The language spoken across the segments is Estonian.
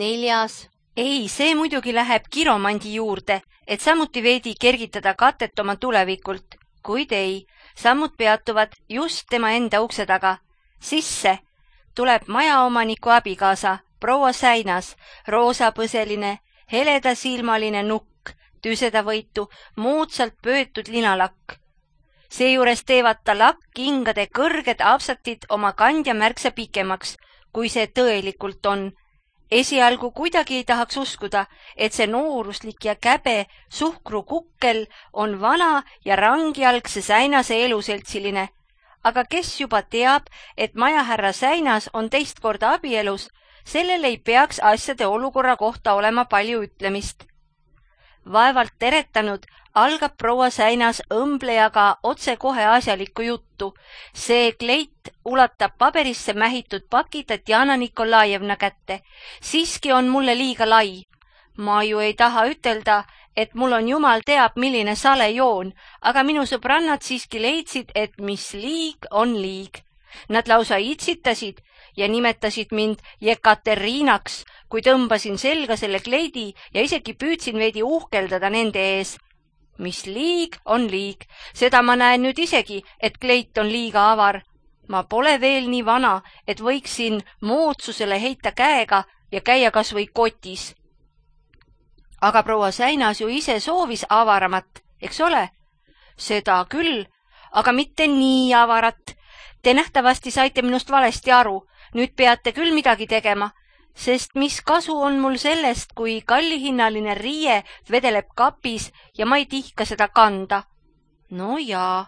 4. Ei, see muidugi läheb kiromandi juurde, et samuti veidi kergitada katet oma tulevikult, kuid ei, sammud peatuvad just tema enda ukse taga. Sisse tuleb majaomaniku abikaasa, proua Säinas, roosapõseline, heledasilmaline nukk, tüsedavõitu, moodsalt pöötud linalakk. Seejuures teevad ta lakkingade kõrged apsatid oma kandja märksa pikemaks, kui see tõelikult on. Esialgu kuidagi ei tahaks uskuda, et see nooruslik ja käbe suhkrukukkel on vana ja rangialgse Säinase eluseltsiline. Aga kes juba teab, et majahärra Säinas on teist korda abielus, sellel ei peaks asjade olukorra kohta olema palju ütlemist. Vaevalt teretanud algab proua Säinas õmblejaga otsekohe asjalikku juttu. See kleit ulatab paberisse mähitud paki Tatjana Nikolajevna kätte. Siiski on mulle liiga lai. Ma ju ei taha ütelda, et mul on jumal teab, milline sale joon, aga minu sõbrannad siiski leidsid, et mis liig on liig. Nad lausa itsitasid ja nimetasid mind Jekaterinaks, kui tõmbasin selga selle kleidi ja isegi püüdsin veidi uhkeldada nende ees. Mis liig on liig, seda ma näen nüüd isegi, et kleit on liiga avar. Ma pole veel nii vana, et võiksin moodsusele heita käega ja käia kas või kotis. Aga proua Säinas ju ise soovis avaramat, eks ole? Seda küll, aga mitte nii avarat. Te nähtavasti saite minust valesti aru, nüüd peate küll midagi tegema, sest mis kasu on mul sellest, kui kallihinnaline riie vedeleb kapis ja ma ei tihka seda kanda. No jaa,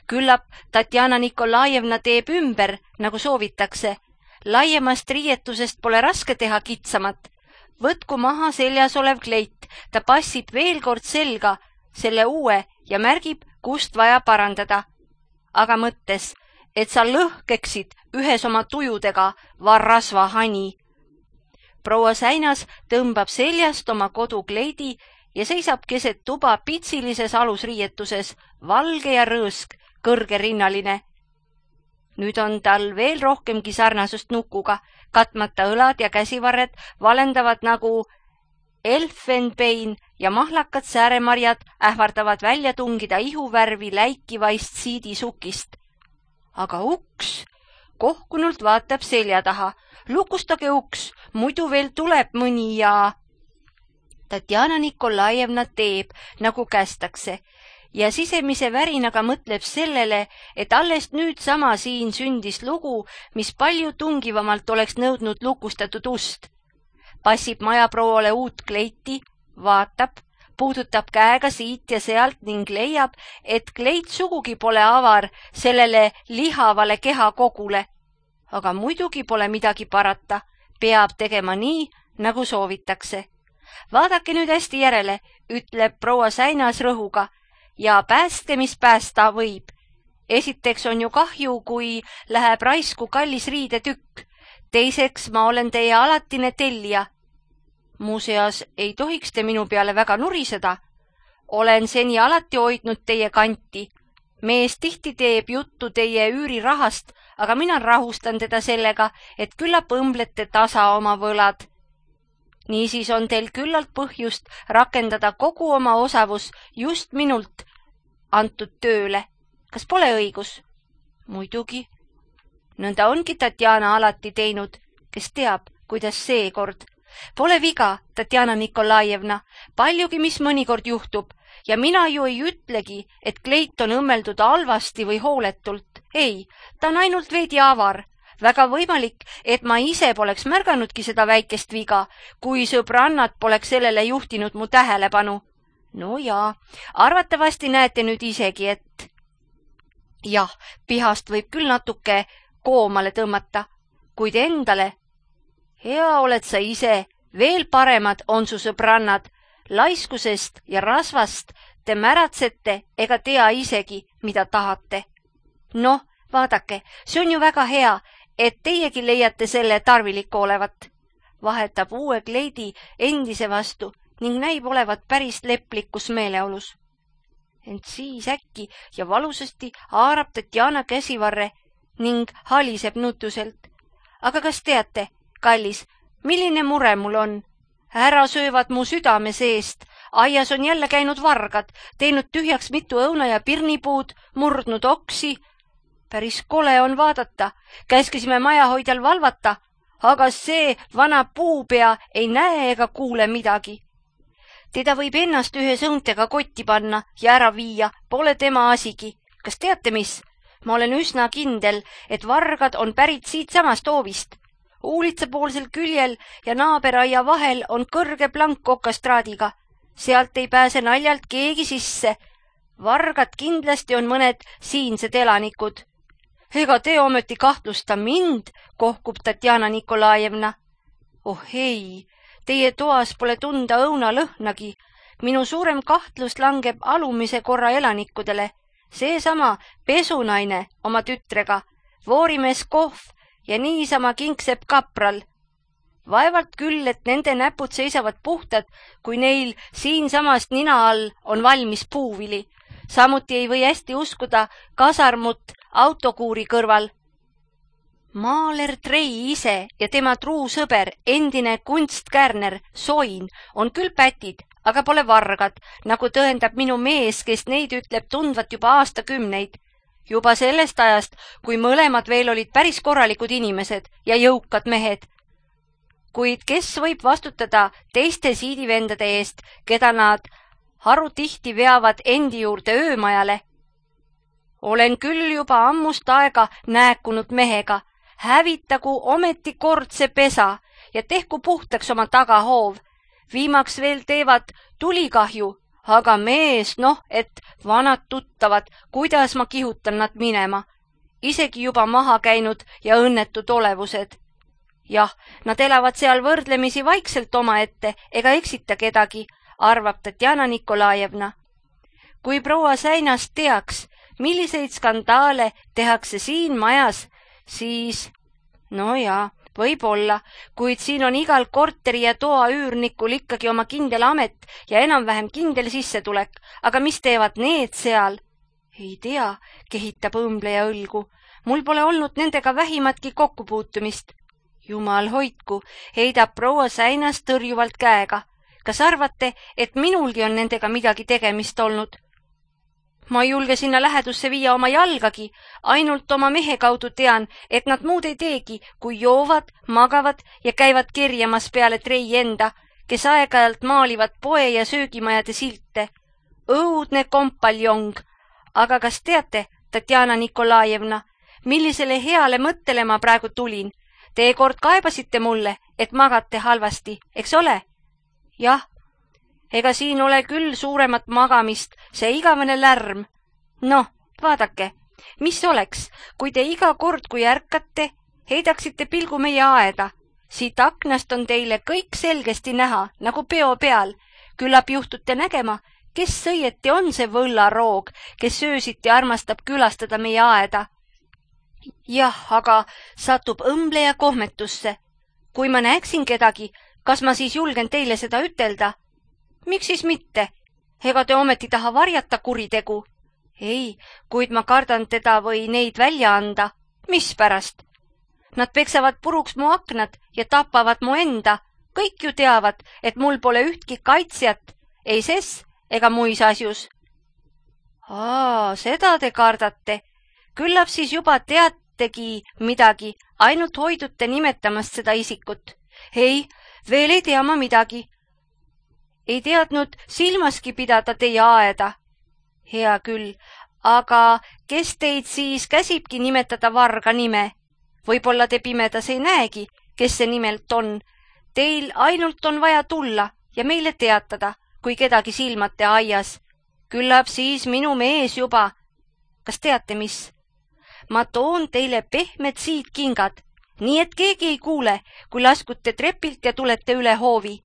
küllap Tatjana Nikolajevna teeb ümber, nagu soovitakse. Laiemast riietusest pole raske teha kitsamat. Võtku maha seljas olev kleit, ta passib veel kord selga, selle uue ja märgib, kust vaja parandada. Aga mõttes, et sa lõhkeksid ühes oma tujudega, varrasva hani. Proua Säinas tõmbab seljast oma kodukleidi ja seisab keset tuba pitsilises alusriietuses, valge ja rõõsk, kõrgerinnaline. Nüüd on tal veel rohkemgi sarnasust nukuga, katmata õlad ja käsivarred valendavad nagu elfenbein ja mahlakad sääremarjad ähvardavad välja tungida ihuvärvi läikivaist siidisukist. Aga uks kohkunult vaatab selja taha. Lukustage uks, muidu veel tuleb mõni ja... Tatjana Nikolajevna teeb, nagu kästakse, ja sisemise värinaga mõtleb sellele, et alles nüüd sama siin sündis lugu, mis palju tungivamalt oleks nõudnud lukustatud ust. Passib majaprouale uut kleiti, vaatab, puudutab käega siit ja sealt ning leiab, et kleit sugugi pole avar sellele lihavale kehakogule. Aga muidugi pole midagi parata, peab tegema nii, nagu soovitakse. Vaadake nüüd hästi järele, ütleb proua Säinas rõhuga, ja pääste, mis päästa võib. Esiteks on ju kahju, kui läheb raisku kallis riidetükk. Teiseks ma olen teie alatine tellija. Muuseas, ei tohiks te minu peale väga nuriseda. Olen seni alati hoidnud teie kanti. Mees tihti teeb juttu teie üürirahast, aga mina rahustan teda sellega, et küllap õmblete tasa oma võlad. Niisiis on teil küllalt põhjust rakendada kogu oma osavus just minult antud tööle. Kas pole õigus? Muidugi. Nõnda ongi Tatjana alati teinud, kes teab, kuidas seekord. Pole viga, Tatjana Nikolajevna, paljugi mis mõnikord juhtub ja mina ju ei ütlegi, et kleit on õmmeldud halvasti või hooletult. Ei, ta on ainult veidi avar. Väga võimalik, et ma ise poleks märganudki seda väikest viga, kui sõbrannad poleks sellele juhtinud mu tähelepanu. No jaa, arvatavasti näete nüüd isegi, et... Jah, pihast võib küll natuke koomale tõmmata, kuid endale... Hea oled sa ise, veel paremad on su sõbrannad, laiskusest ja rasvast te märatsete ega tea isegi, mida tahate. Noh, vaadake, see on ju väga hea, et teiegi leiate selle tarviliku olevat. Vahetab uue kleidi endise vastu ning näib olevat päris leplikus meeleolus. Ent siis äkki ja valusasti haarab Tatjana käsivarre ning haliseb nutuselt. Aga kas teate, kallis, milline mure mul on? Ära söövad mu südame seest. Aias on jälle käinud vargad, teinud tühjaks mitu õuna ja pirnipuud, murdnud oksi. Päris kole on vaadata. Käskisime majahoidjal valvata, aga see vana puupea ei näe ega kuule midagi. Teda võib ennast ühe sõuntega kotti panna ja ära viia, pole tema asigi. Kas teate mis? Ma olen üsna kindel, et vargad on pärit siit samast hoovist. Uulitsapoolsel küljel ja naaberaia vahel on kõrge plank okastraadiga. Sealt ei pääse naljalt keegi sisse. Vargad kindlasti on mõned siinsed elanikud. Ega te ometi kahtlusta mind, kohkub Tatjana Nikolajevna. Oh ei, teie toas pole tunda õunalõhnagi. Minu suurem kahtlus langeb alumise korra elanikudele. Seesama pesunaine oma tütrega, voorimees Kohv ja niisama kingsepp kapral. Vaevalt küll, et nende näpud seisavad puhtad, kui neil siinsamast nina all on valmis puuvili. Samuti ei või hästi uskuda kasarmut autokuuri kõrval. Maaler Trei ise ja tema truu sõber, endine kunstkärner Soin, on küll pätid, aga pole vargad, nagu tõendab minu mees, kes neid ütleb tundvat juba aastakümneid. Juba sellest ajast, kui mõlemad veel olid päris korralikud inimesed ja jõukad mehed. Kuid kes võib vastutada teiste siidivendade eest, keda nad harutihti veavad endi juurde öömajale? Olen küll juba ammust aega nääkunud mehega. Hävitagu ometi kord see pesa ja tehku puhtaks oma tagahoov. Viimaks veel teevad tulikahju, aga mees, et vanad tuttavad, kuidas ma kihutan nad minema. Isegi juba maha käinud ja õnnetud olevused. Jah, nad elavad seal võrdlemisi vaikselt omaette ega eksita kedagi, arvab Tatjana Nikolajevna. Kui proua Säinas teaks, milliseid skandaale tehakse siin majas, siis, võib-olla, kuid siin on igal korteri ja toa üürnikul ikkagi oma kindel amet ja enam-vähem kindel sissetulek, aga mis teevad need seal? Ei tea, kehitab õmbleja õlgu. Mul pole olnud nendega vähimatki kokkupuutumist. Jumal hoidku, heidab proua Säinas tõrjuvalt käega. Kas arvate, et minulgi on nendega midagi tegemist olnud? Ma ei julge sinna lähedusse viia oma jalgagi, ainult oma mehe kaudu tean, et nad muud ei teegi, kui joovad, magavad ja käivad kerjamas peale Trei enda, kes aeg-ajalt maalivad poe ja söögimajade silte. Õudne kompaljong. Aga kas teate, Tatjana Nikolajevna, millisele heale mõttele ma praegu tulin? Te kord kaebasite mulle, et magate halvasti, eks ole? Jah. Ega siin ole küll suuremat magamist, see igavene lärm. Vaadake, mis oleks, kui te iga kord, kui ärkate, heidaksite pilgu meie aeda. Siit aknast on teile kõik selgesti näha, nagu peo peal. Küllap juhtute nägema, kes õieti on see võllaroog, kes öösiti armastab külastada meie aeda. Jah, aga satub õmbleja kohmetusse. Kui ma näeksin kedagi, kas ma siis julgen teile seda ütelda? Miks siis mitte? Ega te ometi taha varjata kuritegu? Ei, kuid ma kardan teda või neid välja anda. Mispärast? Nad peksavad puruks mu aknad ja tapavad mu enda. Kõik ju teavad, et mul pole ühtki kaitsjat, ei ses ega muis asjus. Seda te kardate. Küllap siis juba teategi midagi, ainult hoidute nimetamast seda isikut. Ei, veel ei tea ma midagi. Ei teadnud silmaski pidada teie aeda. Hea küll, aga kes teid siis käsibki nimetada varga nime? Võib-olla te pimedas ei näegi, kes see nimelt on. Teil ainult on vaja tulla ja meile teatada, kui kedagi silmate aias. Küllap siis minu mees juba. Kas teate mis? Ma toon teile pehmed siidkingad, nii et keegi ei kuule, kui laskute trepilt ja tulete üle hoovi.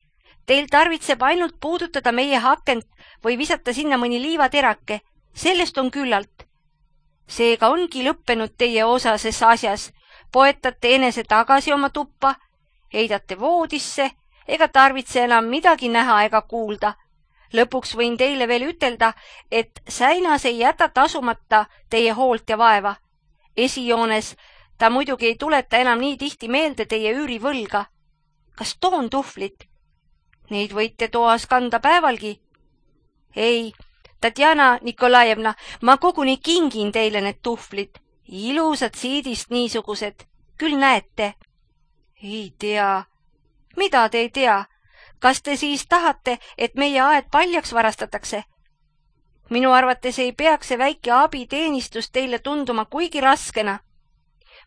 Teil tarvitseb ainult puudutada meie hakent või visata sinna mõni liivaterake. Sellest on küllalt. Seega ongi lõppenud teie osases asjas. Poetate enese tagasi oma tuppa, heidate voodisse, ega tarvitse enam midagi näha ega kuulda. Lõpuks võin teile veel ütelda, et Säinas ei jäta tasumata teie hoolt ja vaeva. Esijoones ta muidugi ei tuleta enam nii tihti meelde teie üürivõlga. kas toon tuhvlit? Neid võite toas kanda päevalgi. Ei, Tatjana Nikolajevna, ma koguni kingin teile need tuhvlid. Ilusad siidist niisugused, küll näete. Ei tea. Mida te ei tea? Kas te siis tahate, et meie aed paljaks varastatakse? Minu arvates ei peaks see väike abiteenistus teile tunduma kuigi raskena.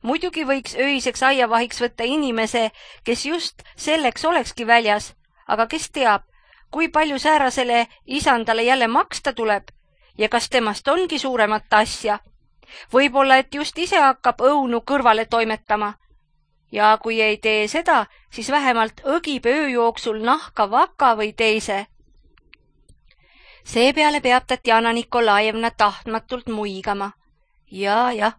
Muidugi võiks öiseks aiavahiks võtta inimese, kes just selleks olekski väljas, aga kes teab, kui palju säärasele isandale jälle maksta tuleb ja kas temast ongi suuremat asja. Võib-olla, et just ise hakkab õunu kõrvale toimetama. Ja kui ei tee seda, siis vähemalt õgib öö jooksul nahka vaka või teise. Seepeale peab Tatjana Nikolajevna tahtmatult muigama. Jah,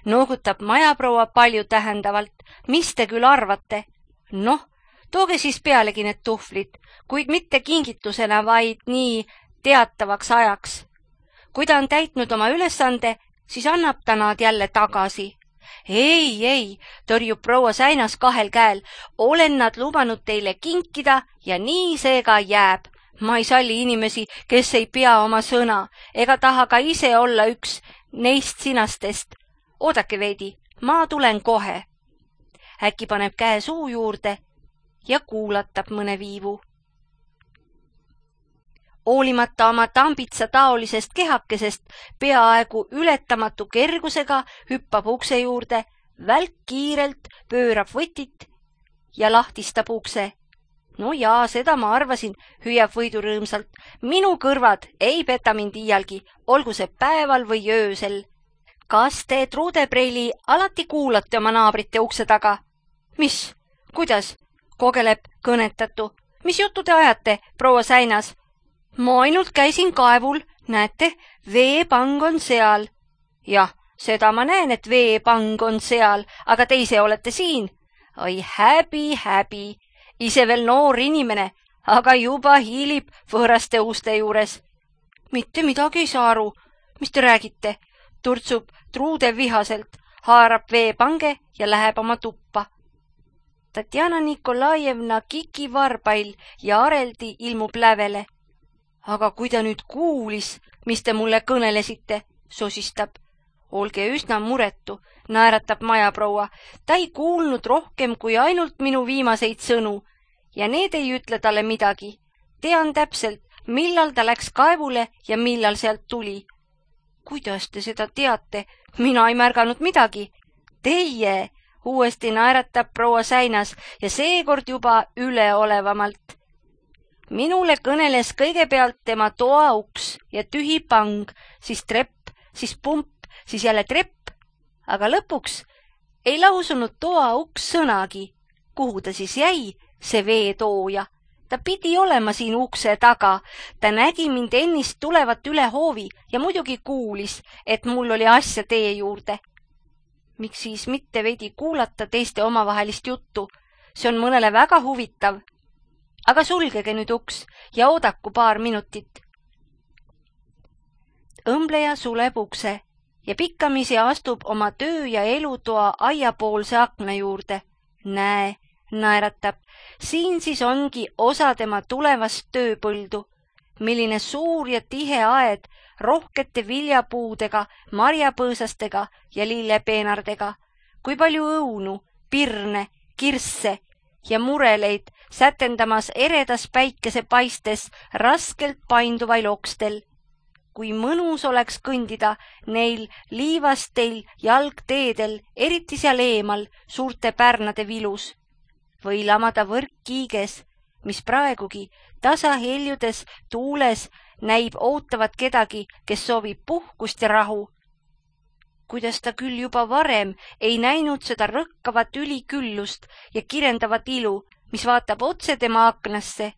noogutab majaproua palju tähendavalt. Mis te küll arvate? Noh, tooge siis pealegi need tuhvlid, kuid mitte kingitusena, vaid nii teatavaks ajaks. Kui ta on täitnud oma ülesande, siis annab ta nad jälle tagasi. Ei, tõrjub proua Säinas kahel käel. Olen nad lubanud teile kinkida ja nii see ka jääb. Ma ei salli inimesi, kes ei pea oma sõna, ega taha ka ise olla üks neist sinastest. Oodake veidi, ma tulen kohe. Äkki paneb käe suu juurde ja kuulatab mõne viivu. Hoolimata oma tambitsa taolisest kehakesest peaaegu ületamatu kergusega hüppab ukse juurde, välk kiirelt pöörab võtit ja lahtistab ukse. No jaa, seda ma arvasin, hüüab Võidu rõõmsalt. Minu kõrvad ei peta mind iialgi, olgu see päeval või öösel. Kas te, Truudepreili, alati kuulate oma naabrite ukse taga? Mis? Kuidas? Kogeleb kõnetatu. Mis juttu te ajate, proua Säinas? Ma ainult käisin kaevul, näete, veepang on seal. Jah, seda ma näen, et veepang on seal, aga te ise olete siin. Oi, häbi. Ise veel noor inimene, aga juba hiilib võõraste uste juures. Mitte midagi ei saa aru. Mis te räägite? Turtsub Truude vihaselt, haarab veepange ja läheb oma tuppa. Tatjana Nikolajevna kikivarbail ja areldi ilmub lävele. Aga kui ta nüüd kuulis, mis te mulle kõnelesite, sosistab. Olge üsna muretu, naeratab majaproua. Ta ei kuulnud rohkem kui ainult minu viimaseid sõnu ja need ei ütle talle midagi. Tean täpselt, millal ta läks kaevule ja millal sealt tuli. Kuidas te seda teate? Mina ei märganud midagi. Teie, uuesti naeratab proua Säinas ja seekord juba üleolevamalt. Minule kõneles kõigepealt tema toa uks ja tühi pang, siis trepp, siis pump, siis jälle trepp, aga lõpuks ei lausunud toa uks sõnagi. Kuhu ta siis jäi, see veetooja? Ta pidi olema siin ukse taga. Ta nägi mind ennist tulevat üle hoovi ja muidugi kuulis, et mul oli asja tee juurde. Miks siis mitte veidi kuulata teiste omavahelist juttu? See on mõnele väga huvitav. Aga sulgege nüüd uks ja oodaku paar minutit. Õmbleja suleb ukse ja pikkamisi astub oma töö- ja elutoa aiapoolse akna juurde. Näe, naeratab, siin siis ongi osa tema tulevast tööpõldu. Milline suur ja tihe aed rohkete viljapuudega, marjapõõsastega ja lillepeenardega. Kui palju õunu, pirne, kirsse ja mureleid sätendamas eredas päikesepaistes raskelt painduvail okstel. Kui mõnus oleks kõndida neil liivastel jalgteedel, eriti seal eemal suurte pärnade vilus. Või lamada võrkkiiges, mis praegugi tasa heljudes tuules näib ootavat kedagi, kes soovib puhkust ja rahu. Kuidas ta küll juba varem ei näinud seda rõkkavat üliküllust ja kirendavat ilu, mis vaatab otse tema aknasse.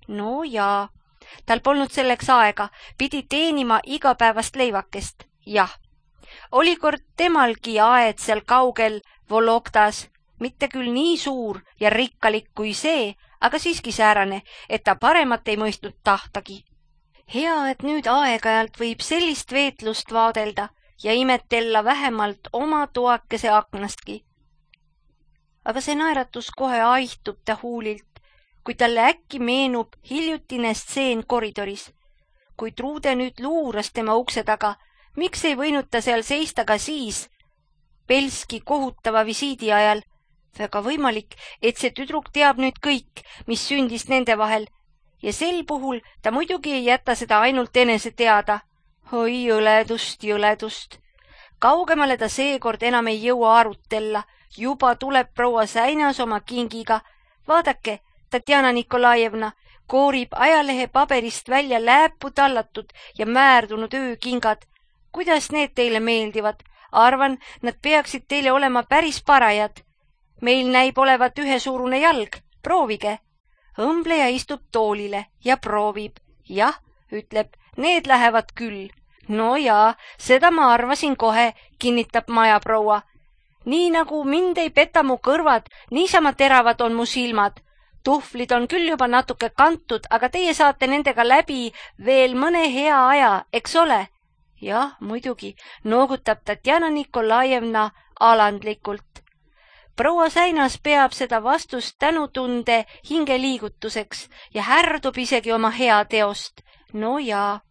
No jaa, tal polnud selleks aega, pidi teenima igapäevast leivakest. Jah, oli kord temalgi aed seal kaugel Vologdas, mitte küll nii suur ja rikkalik kui see, aga siiski säärane, et ta paremat ei mõistnud tahtagi. Hea, et nüüd aeg-ajalt võib sellist veetlust vaadelda ja imetella vähemalt oma toakese aknastki. aga see naeratus kohe aihtub ta huulilt, kui talle äkki meenub hiljutine stseen koridoris. Kui Truude nüüd luuras tema ukse taga, miks ei võinud ta seal seista ka siis, Belski kohutava visiidi ajal? Väga võimalik, et see tüdruk teab nüüd kõik, mis sündis nende vahel, ja sel puhul ta muidugi ei jäta seda ainult enese teada. Oi jõledust. Kaugemale ta seekord enam ei jõua arutella, juba tuleb proua Säinas oma kingiga. Vaadake, Tatjana Nikolajevna koorib ajalehe paberist välja lääpu tallatud ja määrdunud öökingad. Kuidas need teile meeldivad? Arvan, nad peaksid teile olema päris parajad. Meil näib olevat ühesuurune jalg, proovige. Õmbleja istub toolile ja proovib. Jah, ütleb, need lähevad küll. No jaa, seda ma arvasin kohe, kinnitab majaproua. Nii nagu mind ei peta mu kõrvad, niisama teravad on mu silmad. Tuhvlid on küll juba natuke kantud, aga teie saate nendega läbi veel mõne hea aja, eks ole? Jah, muidugi, noogutab Tatjana Nikolajevna alandlikult. Proua Säinas peab seda vastust tänutunde hingeliigutuseks ja härdub isegi oma hea teost. No jaa,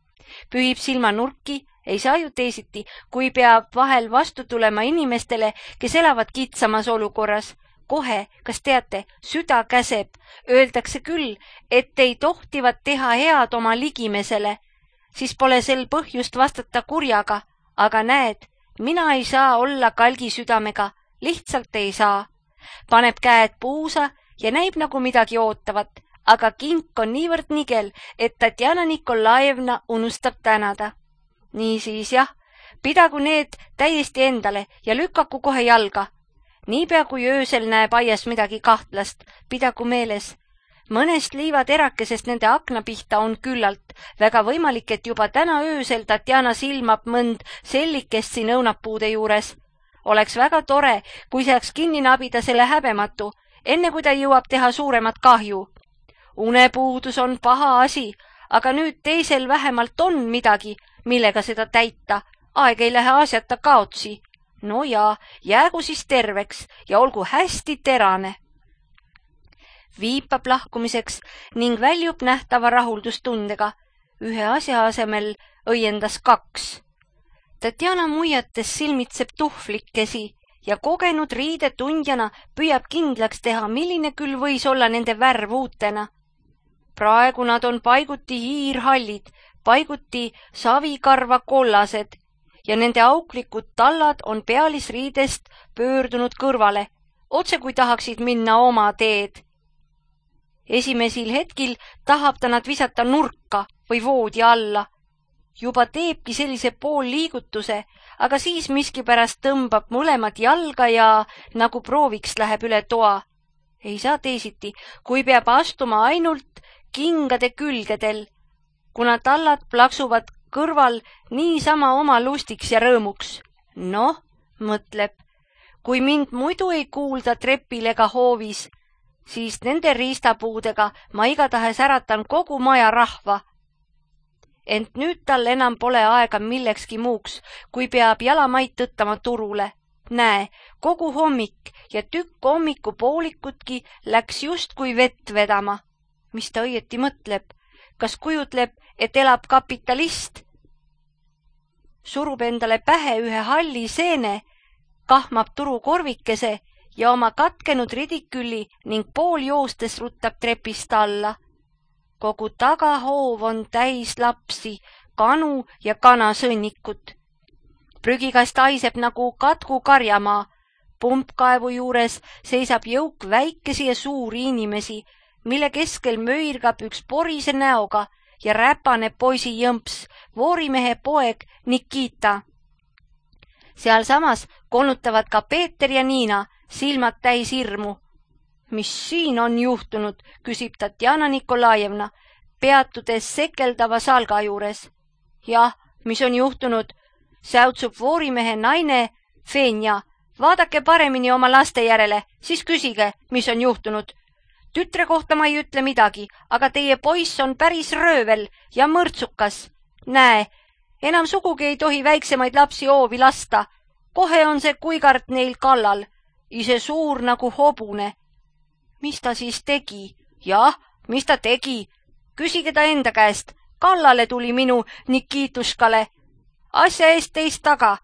pühib silmanurki, ei saa ju teisiti, kui peab vahel vastu tulema inimestele, kes elavad kitsamas olukorras. Kohe, kas teate, süda käseb, öeldakse küll, et ei tohtivat teha head oma ligimesele, siis pole sel põhjust vastata kurjaga, aga näed, mina ei saa olla kalgi südamega, lihtsalt ei saa. Paneb käed puusa ja näib nagu midagi ootavat, aga kink on niivõrd nigel, et Tatjana Nikolajevna unustab tänada. Niisiis jah, pidagu need täiesti endale ja lükaku kohe jalga. Niipea kui öösel näeb aias midagi kahtlast, pidagu meeles. Mõnest liivaterakesest nende akna pihta on küllalt. Väga võimalik, et juba täna öösel Tatjana silmab mõnd sellikest siin õunapuude juures. Oleks väga tore, kui saaks kinni nabida selle häbematu, enne kui ta jõuab teha suuremat kahju. Unepuudus on paha asi, aga nüüd teisel vähemalt on midagi, millega seda täita. Aeg ei lähe asjata kaotsi. No jaa, jäägu siis terveks ja olgu hästi terane. Viipab lahkumiseks ning väljub nähtava rahuldustundega. Ühe asja asemel õiendas 2. Tatjana muiates silmitseb tuhvlikesi ja kogenud riidetundjana püüab kindlaks teha, milline küll võis olla nende värv uutena. Praegu nad on paiguti hiirhallid, paiguti savikarva kollased ja nende auklikud tallad on pealisriidest pöördunud kõrvale, otse kui tahaksid minna oma teed. Esimesel hetkil tahab ta nad visata nurka või voodi alla. Juba teebki sellise poolliigutuse, aga siis miskipärast tõmbab mõlemad jalga ja nagu prooviks läheb üle toa. Ei saa teisiti, kui peab astuma ainult kingade külgedel, kuna tallad plaksuvad kõrval niisama oma lustiks ja rõõmuks. Noh, mõtleb, kui mind muidu ei kuulda trepil ega hoovis, siis nende riistapuudega ma igatahes äratan kogu maja rahva. Ent nüüd tal enam pole aega millekski muuks, kui peab jalamaid tõttama turule. Näe, kogu hommik ja tükk hommikupoolikutki läks just kui vett vedama. Mis ta õieti mõtleb? Kas kujutleb, et elab kapitalist? Surub endale pähe ühe halli seene, kahmab turukorvikese ja oma katkenud ridikülli ning pool joostes ruttab trepist alla. Kogu tagahoov on täis lapsi, kanu ja kanasõnnikut. Prügikast haiseb nagu katku karjamaa. Pumpkaevu juures seisab jõuk väikesi ja suuri inimesi, mille keskel möirgab üks porise näoga ja räpane poisi jõmps, voorimehe poeg Nikita. Sealsamas konutavad ka Peeter ja Niina, silmad täis hirmu. Mis siin on juhtunud, küsib Tatjana Nikolajevna, peatudes sekeldava salga juures. Jah, mis on juhtunud, säutsub voorimehe naine Fenja. Vaadake paremini oma laste järele, siis küsige, mis on juhtunud. Tütre kohta ma ei ütle midagi, aga teie poiss on päris röövel ja mõrtsukas. Näe, enam sugugi ei tohi väiksemaid lapsi hoovi lasta. Kohe on see kuigart neil kallal. ise suur nagu hobune. Mis ta siis tegi? Jah, mis ta tegi? Küsige ta enda käest. Kallale tuli minu Nikituškale. Asja eest teist taga.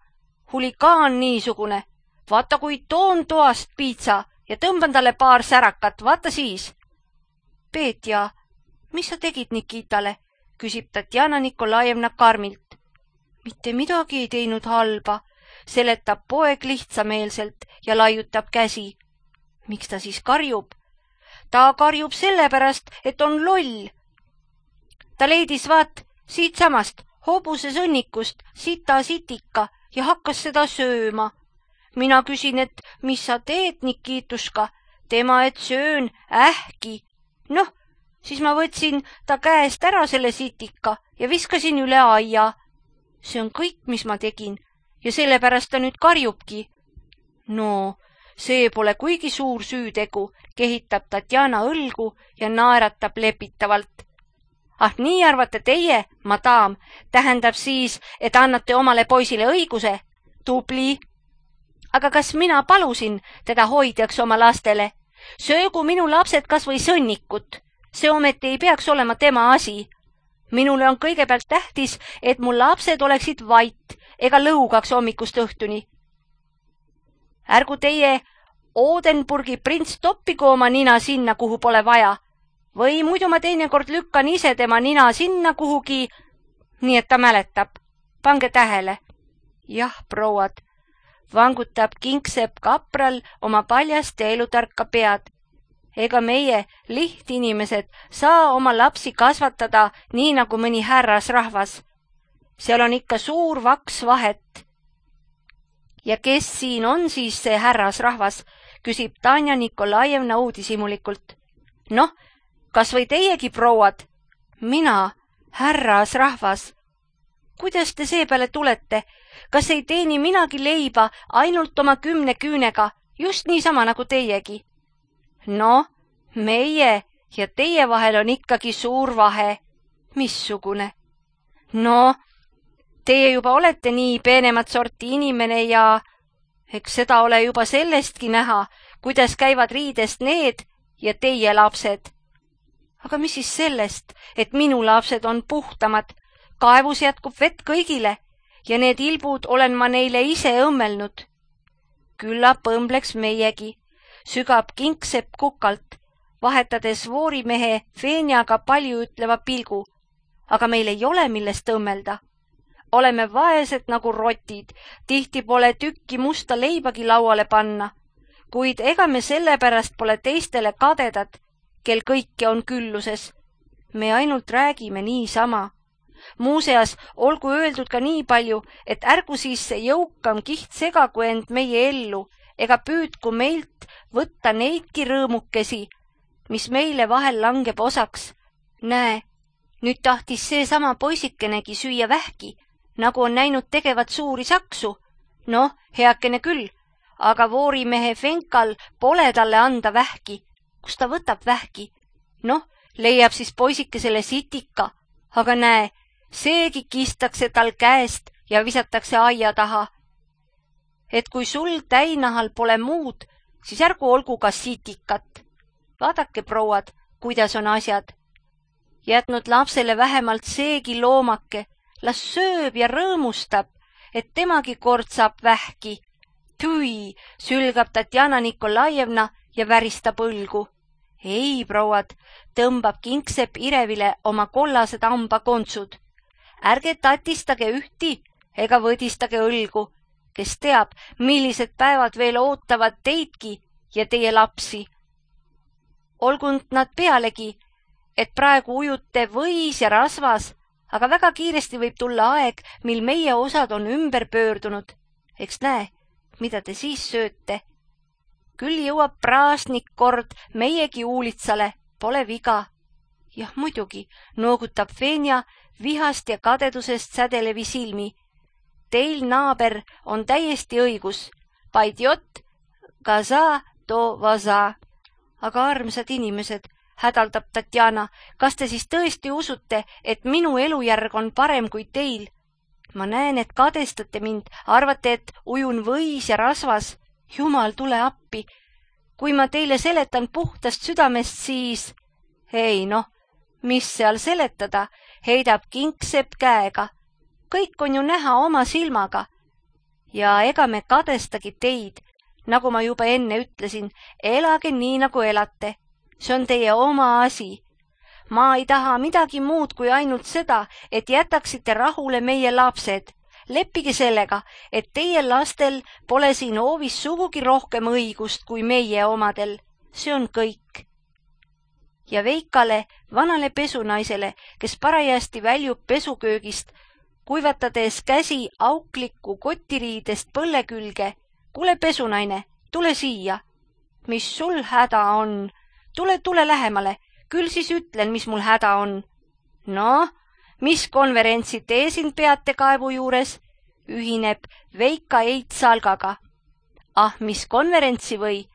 Huligaan niisugune. Vaata, kui toon toast piitsa ja tõmban talle paar särakat, vaata siis. Petja, mis sa tegid Nikitale? Küsib Tatjana Nikolajevna karmilt. Mitte midagi ei teinud halba, seletab poeg lihtsameelselt ja laiutab käsi. Miks ta siis karjub? Ta karjub sellepärast, et on loll. Ta leidis vaat siitsamast hobuse sõnnikust sita sitika ja hakkas seda sööma. Mina küsin, et mis sa teed, Nikituška? Tema, et söön ähki. Noh, siis ma võtsin ta käest ära selle sitika ja viskasin üle aia. See on kõik, mis ma tegin ja sellepärast ta nüüd karjubki. No, see pole kuigi suur süütegu, kehitab Tatjana õlgu ja naeratab lepitavalt. Ah, nii arvate teie, madam, tähendab siis, et annate omale poisile õiguse? Tubli. Aga kas mina palusin teda hoidjaks oma lastele? Söögu minu lapsed kas või sõnnikut. See ometi ei peaks olema tema asi. Minule on kõigepealt tähtis, et mu lapsed oleksid vait ega lõugaks hommikust õhtuni. Ärgu teie Odenburgi prints toppigu oma nina sinna, kuhu pole vaja. Või muidu ma teinekord lükkan ise tema nina sinna kuhugi, nii et ta mäletab. Pange tähele. Jah, prouad, vangutab kingsepp kapral oma paljast ja elutarka pead. Ega meie, lihtinimesed, saa oma lapsi kasvatada nii nagu mõni härrasrahvas. Seal on ikka suur vaks vahet. Ja kes siin on siis see härrasrahvas, küsib Tanja Nikolajevna uudishimulikult. Noh, kas või teiegi, prouad? Mina, härrasrahvas. Kuidas te seepeale tulete? Kas ei teeni minagi leiba ainult oma 10 küünega, just niisama nagu teiegi? No, meie ja teie vahel on ikkagi suur vahe. Missugune? No, teie juba olete nii peenemat sorti inimene ja eks seda ole juba sellestki näha, kuidas käivad riidest need ja teie lapsed. Aga mis siis sellest, et minu lapsed on puhtamad, kaevus jätkub vett kõigile ja need ilbud olen ma neile ise õmmelnud. Küllap õmbleks meiegi, sügab kingsepp kukalt, vahetades voorimehe Fenjaga palju ütleva pilgu, aga meil ei ole millest õmmelda. Oleme vaesed nagu rotid, tihti pole tükki musta leibagi lauale panna, kuid ega me sellepärast pole teistele kadedad, kel kõike on külluses. Me ainult räägime niisama. Muuseas, olgu öeldud ka nii palju, et ärgu siis see jõukam kiht segagu end meie ellu, ega püüdku meilt võtta neidki rõõmukesi, mis meile vahel langeb osaks. Näe, nüüd tahtis seesama poisikenegi süüa vähki, nagu on näinud tegevat suuri saksu. Noh, heakene küll, aga voorimehe Fenkal pole talle anda vähki. Kus ta võtab vähki? Noh, leiab siis poisikesele sitika, aga näe, seegi kistakse tal käest ja visatakse aia taha. Et kui sul täinahal pole muud, siis ärgu olgu ka sitikat. Vaadake, prouad, kuidas on asjad. Jätnud lapsele vähemalt seegi loomake, las sööb ja rõõmustab, et temagi kord saab vähki. Tui, sülgab Tatjana Nikolajevna ja väristab õlgu. Ei, prouad, tõmbab kingsepp Irevile oma kollased hambakontsud. Ärge tatistage ühti ega võdistage õlgu, kes teab, millised päevad veel ootavad teidki ja teie lapsi. Olgunud nad pealegi, et praegu ujute võis ja rasvas, aga väga kiiresti võib tulla aeg, mil meie osad on ümber pöördunud. Eks näe, mida te siis sööte. Küll jõuab praasnik kord meiegi uulitsale, pole viga. Jah, muidugi, noogutab Fenja vihast ja kadedusest sädelevi silmi. Teil, naaber, on täiesti õigus. Paidjot, gaza, to vaza. Aga armsad inimesed, hädaldab Tatjana, kas te siis tõesti usute, et minu elujärg on parem kui teil? Ma näen, et kadestate mind, arvate, et ujun võis ja rasvas. Jumal, tule appi. Kui ma teile seletan puhtast südamest, siis... Ei noh, mis seal seletada, heidab Kingsepp käega. Kõik on ju näha oma silmaga. Ja ega me kadestagi teid, nagu ma juba enne ütlesin, elage nii, nagu elate. See on teie oma asi. Ma ei taha midagi muud kui ainult seda, et jätaksite rahule meie lapsed. Leppige sellega, et teie lastel pole siin hoovis sugugi rohkem õigust kui meie omadel. See on kõik. Ja Veikale, vanale pesunaisele, kes parajasti väljub pesuköögist, kuivatades käsi auklikku kotiriidest põlle külge. Kuule, pesunaine, tule siia. Mis sul häda on? Tule lähemale, küll siis ütlen, mis mul häda on. No, mis konverentsi te siin peate kaevu juures? Ühineb Veika Eidsalgaga. Ah, mis konverentsi või?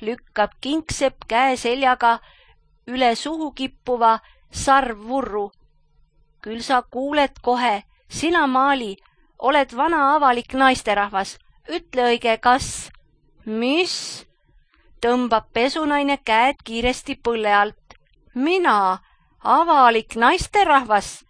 Lükkab Kingsepp käe seljaga üle suhu kippuva sarvvurru. Küll sa kuuled kohe, sina Maali, oled vana avalik naisterahvas. Ütle õige, kas? Mis? Tõmbab pesunaine käed kiiresti põlle alt. Mina, avalik naisterahvas?